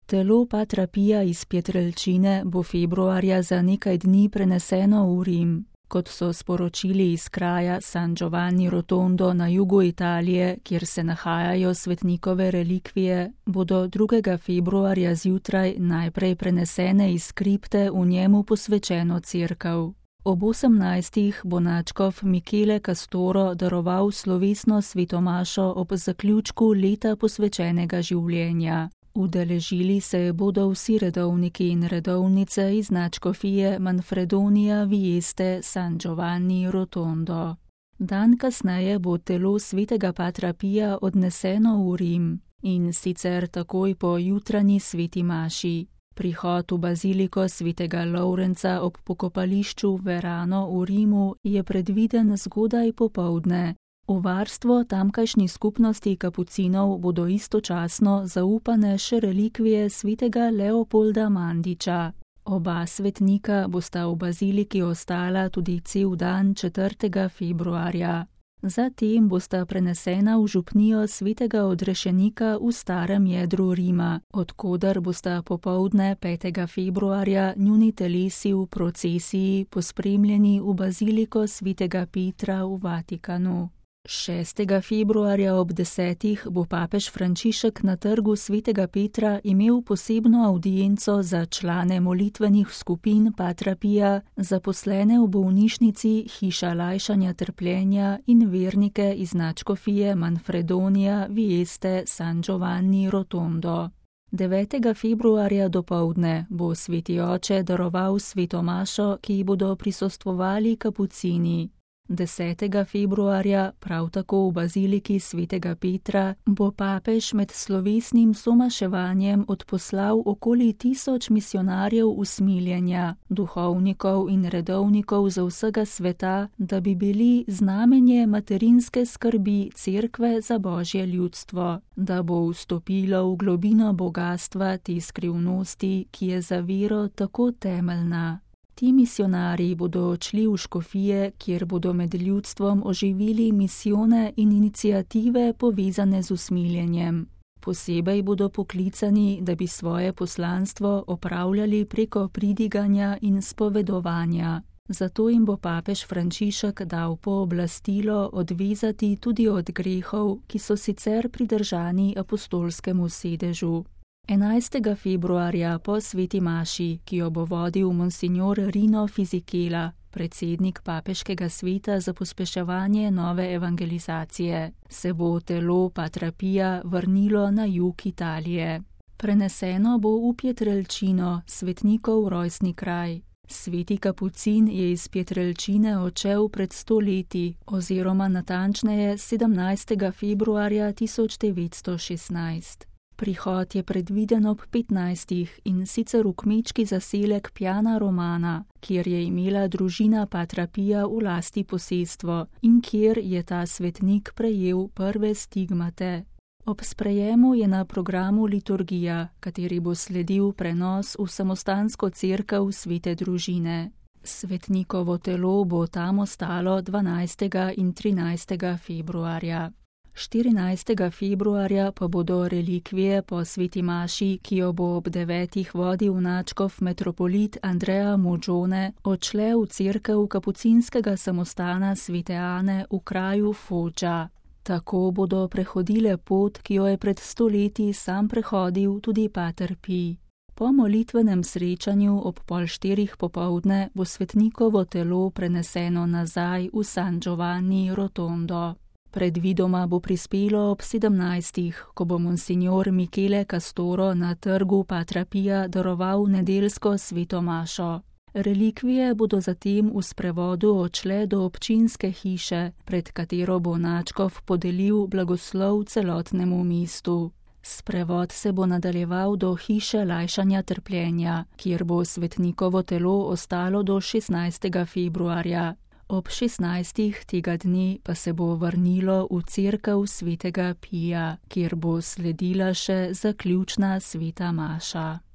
Telo patra Pija iz Pietrelcine bo februarja za nekaj dni preneseno v Rim. Kot so sporočili iz kraja San Giovanni Rotondo na jugu Italije, kjer se nahajajo svetnikove relikvije, bodo 2. februarja zjutraj najprej prenesene iz kripte v njemu posvečeno cerkev. Ob 18. bo nadškof Michele Castoro daroval slovesno svetomašo ob zaključku leta posvečenega življenja. Udeležili se bodo vsi redovniki in redovnice iz nadškofije Manfredonia Vieste San Giovanni Rotondo. Dan kasneje bo telo svetega patra Pija odneseno v Rim, in sicer takoj po jutranji sveti maši. Prihod v baziliko svetega Lovrenca ob pokopališču Verano v Rimu je predviden zgodaj popoldne. V varstvo tamkajšnji skupnosti kapucinov bodo istočasno zaupane še relikvije svetega Leopolda Mandiča. Oba svetnika bosta v baziliki ostala tudi cel dan 4. februarja. Zatem bosta prenesena v župnijo svetega odrešenika v starem jedru Rima, od koder bosta popoldne 5. februarja njuni telesi v procesiji pospremljeni v baziliko svetega Petra v Vatikanu. 6. februarja ob 10. bo papež Frančišek na trgu svetega Petra imel posebno avdienco za člane molitvenih skupin patra Pija, zaposlene v bolnišnici Hiša lajšanja trpljenja in vernike iz nadškofije Manfredonia Vieste San Giovanni Rotondo. 9. februarja dopoldne bo sveti oče daroval svetomašo, ki ji bodo prisostvovali kapucini. 10. februarja, prav tako v baziliki svetega Petra, bo papež med slovesnim somaševanjem odposlal okoli 1000 misionarjev usmiljenja, duhovnikov in redovnikov za vsega sveta, da bi bili znamenje materinske skrbi cerkve za Božje ljudstvo, da bo vstopilo v globino bogastva te skrivnosti, ki je za vero tako temeljna. Ti misionarji bodo odšli v škofije, kjer bodo med ljudstvom oživili misijone in iniciative povezane z usmiljenjem. Posebej bodo poklicani, da bi svoje poslanstvo opravljali preko pridiganja in spovedovanja. Zato jim bo papež Frančišek dal pooblastilo odvezati tudi od grehov, ki so sicer pridržani apostolskemu sedežu. 11. februarja po sveti maši, ki jo bo vodil monsignor Rino Fisichella, predsednik papeškega sveta za pospeševanje nove evangelizacije, se bo telo patra Pija vrnilo na jug Italije. Preneseno bo v Pietrelcino, svetnikov rojstni kraj. Sveti kapucin je iz Pietrelcine odšel pred 100 leti, oziroma natančneje 17. februarja 1916. Prihod je predviden ob 15. in sicer v kmečki zaselek Piana Romana, kjer je imela družina patra Pija v lasti posestvo in kjer je ta svetnik prejel prve stigmate. Ob sprejemu je na programu liturgija, kateri bo sledil prenos v samostansko cerkev svete družine. Svetnikovo telo bo tam ostalo 12. in 13. februarja. 14. februarja pa bodo relikvije po sveti maši, ki jo bo ob 9. vodil nadškof metropolit Andrea Moggione, odšle v cerkev kapucinskega samostana svete Ane v kraju Foggia. Tako bodo prehodile pot, ki jo je pred 100 leti sam prehodil tudi pater Pij. Po molitvenem srečanju ob 3:30 popoldne bo svetnikovo telo preneseno nazaj v San Giovanni Rotondo. Predvidoma bo prispelo ob 17. ko bo monsignor Michele Castoro na trgu patra Pija daroval nedeljsko svetomašo. Relikvije bodo zatem v sprevodu odšle do občinske hiše, pred katero bo nadškof podelil blagoslov celotnemu mestu. Sprevod se bo nadaljeval do hiše lajšanja trpljenja, kjer bo svetnikovo telo ostalo do 16. februarja. Ob 16. tega dne pa se bo vrnilo v cerkev svetega Pija, kjer bo sledila še zaključna sveta maša.